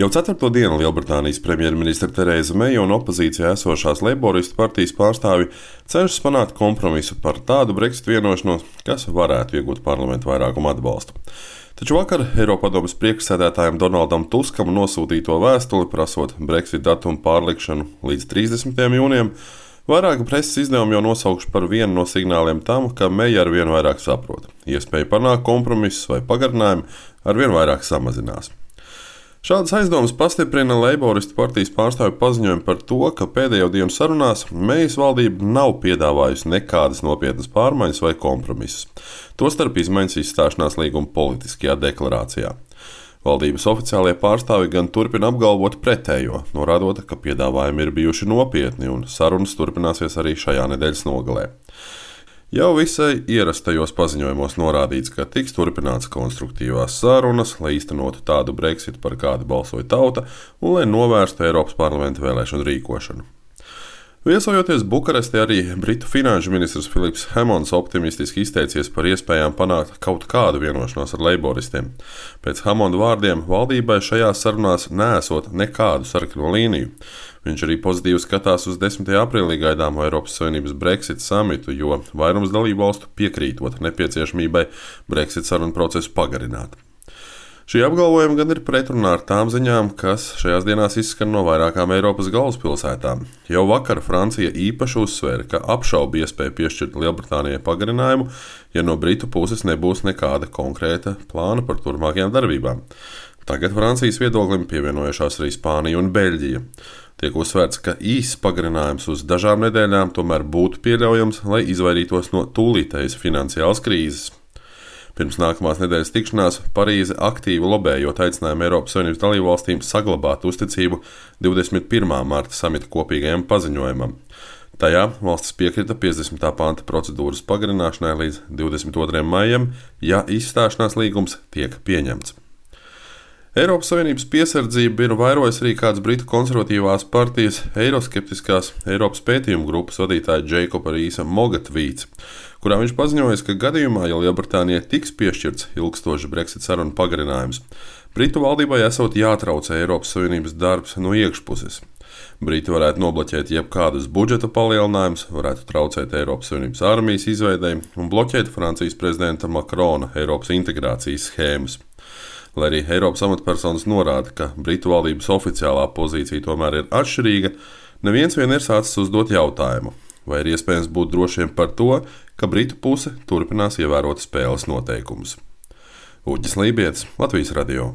Jau 4. dienu Lielbritānijas premjerministre Terēza Meija un opozīcijā esošās Leiboristu partijas pārstāvji cenšas panākt kompromisu par tādu Brexit vienošanos, kas varētu iegūt parlamentu vairākumu atbalstu. Taču vakar Eiropadomes priekšsēdētājam Donaldam Tuskam nosūtīto vēstuli prasot Brexit datumu pārlikšanu līdz 30. jūnijam, vairāki preses izdevumi jau nosaukšu par vienu no signāliem tam, ka Meija arvien vairāk saprot. Iespēja panākt kompromisus vai pagarinājumu arvien vairāk samazinās. Šādas aizdomas pastiprina Leiboristu partijas pārstāvju paziņojumu par to, ka pēdējo dienu sarunās Meijas valdība nav piedāvājusi nekādas nopietnas pārmaiņas vai kompromisus, tostarp izmaiņas izstāšanās līguma politiskajā deklarācijā. Valdības oficiālie pārstāvji gan turpina apgalvot pretējo, norādot, ka piedāvājumi ir bijuši nopietni un sarunas turpināsies arī šajā nedēļas nogalē. Jau visai ierastajos paziņojumos norādīts, ka tiks turpināts konstruktīvās sarunas, lai īstenotu tādu Brexit, par kādu balsoja tauta, un lai novērstu Eiropas parlamenta vēlēšanu rīkošanu. Viesojoties Bukarestē, arī Britu finanšu ministrs Philips Hammonds optimistiski izteicies par iespējām panākt kaut kādu vienošanos ar leiboristiem. Pēc Hammonda vārdiem valdībai šajās sarunās neesot nekādu sarkano līniju. Viņš arī pozitīvi skatās uz 10. aprīlī gaidāmo Eiropas Savienības Brexit samitu, jo vairums dalībvalstu piekrītot nepieciešamībai Brexit sarunu procesu pagarināt. Šī apgalvojuma gan ir pretrunā ar tām ziņām, kas šajās dienās izskan no vairākām Eiropas galvaspilsētām. Jau vakar Francija īpaši uzsvēra, ka apšauba iespēju piešķirt Lielbritānijai pagarinājumu, ja no Britu puses nebūs nekāda konkrēta plāna par turpmākajām darbībām. Tagad Francijas viedoklim pievienojušās arī Spānija un Beļģija. Tiek uzsvērts, ka īss pagarinājums uz dažām nedēļām tomēr būtu pieļaujams, lai izvairītos no tūlītējas finansiālas krīzes. Pirms nākamās nedēļas tikšanās Parīze aktīvi lobējot aicinājumu Eiropas Savienības dalībvalstīm saglabāt uzticību 21. marta samita kopīgajam paziņojumam. Tajā valstis piekrita 50. panta procedūras pagarināšanai līdz 22. maijam, ja izstāšanās līgums tiek pieņemts. Eiropas Savienības piesardzību ir vairojis arī kāds Britu konservatīvās partijas eiroskeptiskās Eiropas pētījumu grupas vadītāja Jacoba Rīsa Moga tvīts, kurā viņš paziņoja, ka gadījumā, ja Lielbritānijai tiks piešķirts ilgstošs Brexit sarunu pagarinājums, Britu valdībai esot jātraucē Eiropas Savienības darbs no iekšpuses. Briti varētu nobloķēt jebkādus budžeta palielinājumus, varētu traucēt Eiropas Savienības armijas izveidei un bloķēt Francijas prezidenta Makrona Eiropas integrācijas schēmas. Lai arī Eiropas amatpersonas norāda, ka Britu valdības oficiālā pozīcija tomēr ir atšķirīga, neviens vien ir sācis uzdot jautājumu, vai ir iespējams būt drošiem par to, ka Britu puse turpinās ievērot spēles noteikumus. Uģis Lībietis, Latvijas radio.